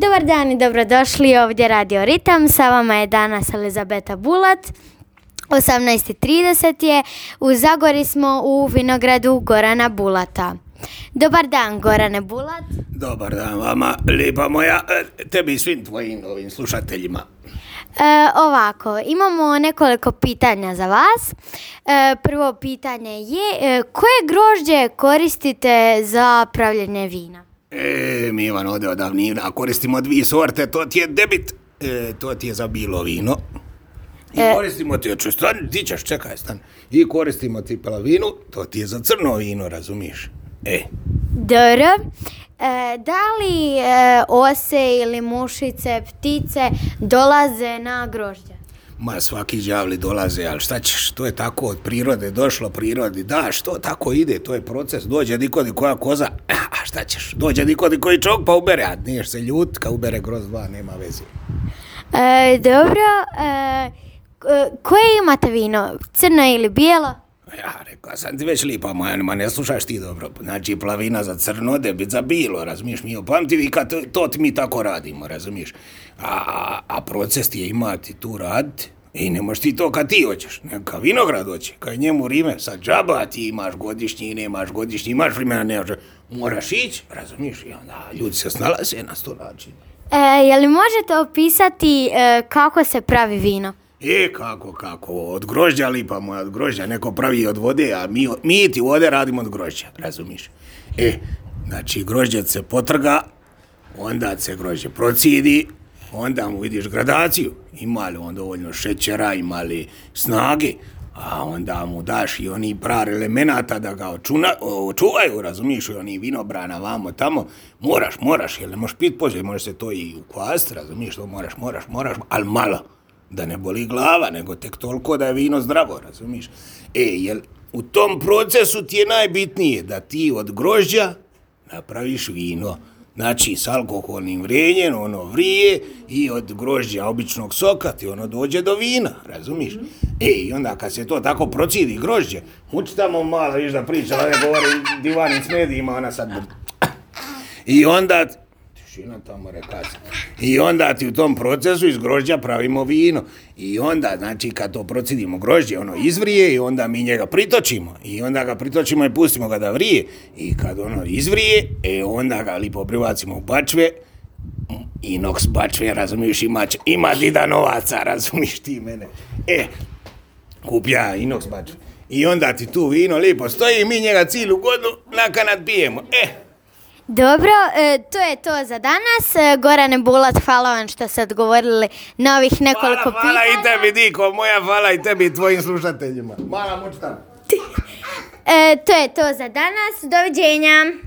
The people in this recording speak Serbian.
Dobar dan i dobrodošli ovdje Radio Ritam. Sa vama je danas Elizabeta Bulat. 18:30 je. U Zagori smo u vinogradu Gorana Bulata. Dobar dan, Gorane Bulat. Dobar dan vama, lijepa moja, tebi i svim tvojim ovim slušateljima. Ovako, imamo nekoliko pitanja za vas. Prvo pitanje je, koje grožđe koristite za pravljenje vina? Mi Ivan ovdje od davnina koristimo dvije sorte, to ti je debit, to ti je za bilo vino. I koristimo ti, ti ćeš, čekaj, stan. I koristimo ti pelavinu, to ti je za crno vino, razumiješ? Dobro. Da li ose ili mušice, ptice dolaze na grožđe? Ma svaki đavli dolaze, ali šta ćeš, to je tako od prirode došlo, prirodi daš, to tako ide, to je proces, dođe nikodi koja koza, a šta ćeš, dođe nikodi koji čovjek pa ubere, a niješ se ljut, kad ubere groz dva, nema veze. Dobro, koje imate vino, crno ili bijelo? Ja rekao sam ti već lipa moja, ma ne slušaš ti dobro, znači plavina za crno, debit za bilo, razumiješ, mi opamtivi kad to mi tako radimo, razumiješ, a proces ti je imati tu raditi i ne možeš ti to kad ti hoćeš, neka vinograd hoće, kad njemu rime, sad džaba ti imaš godišnji, nemaš godišnji, imaš vremena, nemaš, moraš ići, razumiješ, i onda ljudi se snalaze na sto način. Je li možete opisati kako se pravi vino? Kako, od grožđa lipa moja, od grožđa, neko pravi od vode, a mi ti vode radimo od grožđa, razumiš? Znači grožđe se potrga, onda se grožđe procidi, onda mu vidiš gradaciju, ima li on dovoljno šećera, ima li snage, a onda mu daš i oni par elemenata da ga očuvaju, razumiješ, i oni vinobrana vamo tamo, moraš, jer ne možeš pit poslije, može se to i ukvast, razumiješ, to moraš, ali malo. Da ne boli glava, nego tek toliko da je vino zdravo, razumiješ? Jel u tom procesu ti je najbitnije da ti od grožđa napraviš vino. Znači, s alkoholnim vrenjem, ono vrije, i od grožđa običnog soka ti ono dođe do vina, razumiješ? I onda kad se to tako procidi grožđe, uči tamo malo, viš da priča, ovdje govori divanic medijima, ona sad... I onda... tamo rekaca. I onda ti u tom procesu iz grožđa pravimo vino. I onda, znači, kad to procidimo grožđe, ono izvrije i onda mi njega pritočimo. I onda ga pritočimo i pustimo ga da vrije. I kad ono izvrije, onda ga lipo privacimo u bačve. Inox bačve, razumiješ, ima dida novaca, razumiješ ti mene. Kupja inox bačve. I onda ti tu vino lipo stoji i mi njega cijelu godinu nakanad pijemo. Dobro, to je to za danas. Gorane Bulat, hvala vam što ste odgovorili na ovih nekoliko pitanja. Hvala i tebi, Diko, moja, hvala i tebi i tvojim slušateljima. Mala mučtan. To je to za danas. Doviđenja.